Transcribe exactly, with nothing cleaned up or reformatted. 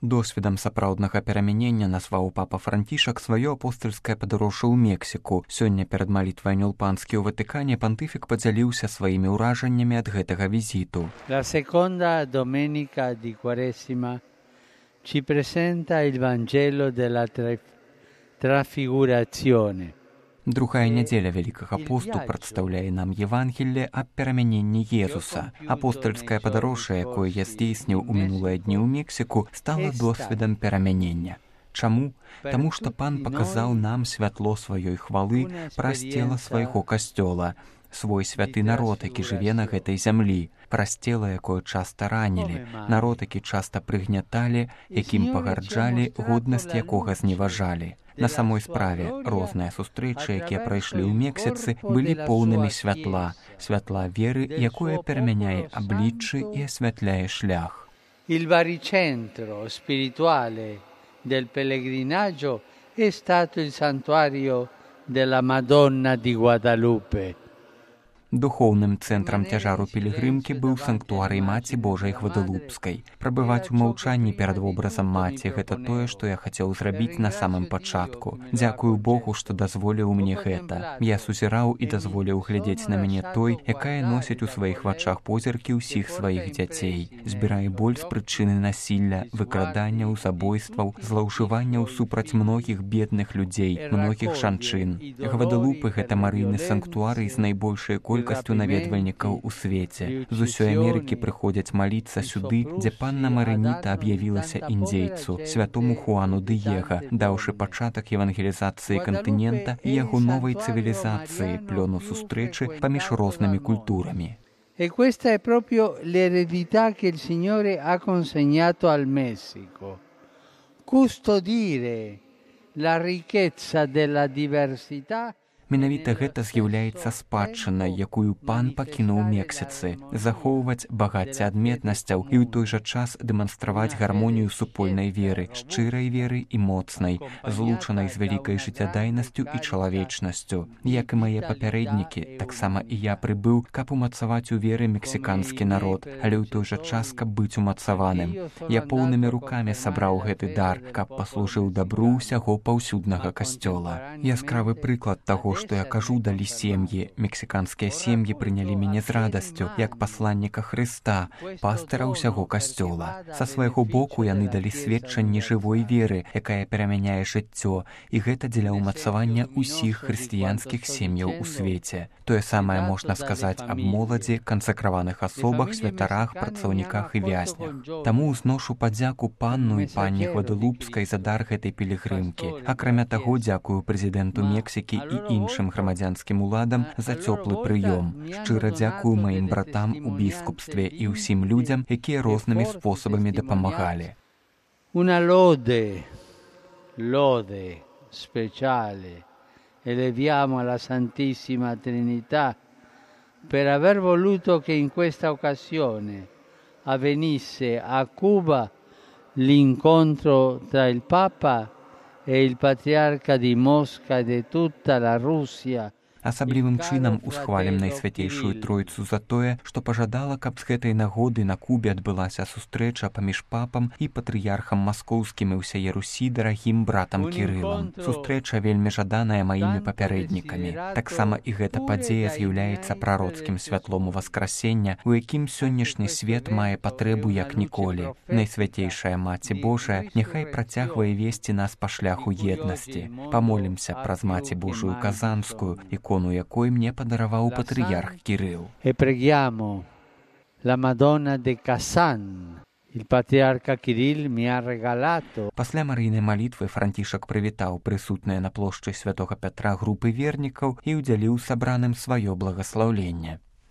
Досведам сапраўднага перамянення назваў папа Францішак сваё апостальскае падарожжа ў Мексіку. Сёння перад малітвай Анёл-Панскі ў Ватыкане пантыфік падзяліўся сваімі ўражаннямі ад гэтага візіту. La seconda domenica di Quaresima ci presenta il Vangelo della Trafigurazione. Другая нядзеля Вялікага посту прадстаўляе нам Евангелле аб перамяненні Езуса. Апостальскае падарожжа, якое я здзейсніў у мінулыя дні ў Мексіку, стала досведам перамянення. Чаму? Таму што Пан паказаў нам святло сваёй хвалы праз цела свайго касцёла, свой святы народ, які жыве на гэтай зямлі, праз цела, якое часта ранілі, народ, які часта прыгняталі, якім пагарджалі, годнасць якога зневажалі. На самой справе, розныя сустрэчы, якія прайшлі ў Мексіцы, былі поўнымі святла, святла веры, якое перамяняе абліччы і асвятляе шлях. Il baricentro spirituale del pellegrinaggio è stato il santuario della Madonna di Guadalupe. Духоўным цэнтрам цяжару пілігрымкі быў санктуарый Маці Божай Гвадалупскай. Прабываць у маўчанні перад вобразам маці – гэта тое, што я хацеў зрабіць на самым пачатку. Дзякую Богу, што дазволіў мне гэта. Я сузіраў і дазволіў глядзець на мяне той, якая носіць у сваіх вачах позіркі ўсіх сваіх дзяцей. Збірае боль з прычыны насілля, выкраданняў, забойстваў, злоўжыванняў супраць многіх бедных людзей, многіх жанчын. Гвадалупы – гэта марыйны санктуарый з найбольшай колькасцю наведвальнікаў у свеце. З усёй Амерыкі прыходзяць маліцца сюды, дзе панна Марыніта аб'явілася індзейцу, святому Хуану Дыега, даўшы пачатак евангелізацыі кантынента і яго новай цывілізацыі, плёну сустрэчы паміж рознымі культурамі. E questa è proprio l'eredità che il Signore ha consegnato al Messico. Custodire la ricchezza della diversità. Менавіта гэта з'яўляецца спадчынай, якую Пан пакінуў Мексіцы, захоўваць багацце адметнасцяў і ў той жа час дэманстраваць гармонію супольнай веры, шчырай веры і моцнай, злучанай з вялікай жыццядайнасцю і чалавечнасцю. Як і мае папярэднікі, таксама і я прыбыў, каб умацаваць у веры мексіканскі народ, але ў той жа час, каб быць умацаваным. Я поўнымі рукамі сабраў гэты дар, каб паслужыў дабру ўсяго паўсюднага касцёла. Яскравы прыклад таго, што я кажу, далі сем'і. Мексіканскія сем'і прынялі мяне з радасцю, як пасланніка Хрыста, пастыра ўсяго касцёла. Са свайго боку яны далі сведчанне жывой веры, якая перамяняе жыццё, і гэта дзеля ўмацавання ўсіх хрысціянскіх сем'яў у свеце. Тое самае можна сказаць аб моладзі, кансакраваных асобах, святарах, працаўніках і вязнях. Таму узношу падзяку панну і панне Гвадалупскай за дар гэтай пілігрымкі. Акрамя таго, дзякую прэзідэнту Мексікі і іншым іншым грамадзянскім уладам за цёплы прыём. Шчыра дзякую маім братам у біскупстве і ўсім людзям, якія рознымі спосабамі дапамагалі. Una lode, lode speciale eleviamo alla Santissima Trinità per aver voluto che in questa occasione avvenisse a Cuba l'incontro tra il Papa e il patriarca di Mosca e di tutta la Russia. Асаблівым чынам усхвалім Найсвятейшую Тройцу за тое, што пажадала, каб з гэтай нагоды на Кубе адбылася сустрэча паміж папам і патрыярхам маскоўскім і ўсяе Русі дарагім братам Кірылам. Сустрэча вельмі жаданая маімі папярэднікамі. Таксама і гэта падзея з'яўляецца прароцкім святлом Васкрасення, у якім сённяшні свет мае патрэбу як ніколі. Найсвятейшая Маці Божая няхай працягвае весці нас па шляху еднасці. Памолімся праз Маці Божую Казанскую, ікону якой мне падараваў патрыярх Кірыл. E preghiamo la Madonna de Kazan. Il patriarca Кирилл mi ha regalato. Пасля марыйнай малітвы Францішак прывітаў прысутныя на плошчы святога Пятра групы вернікаў і ўдзяліў сабраным сваё благаслаўленне.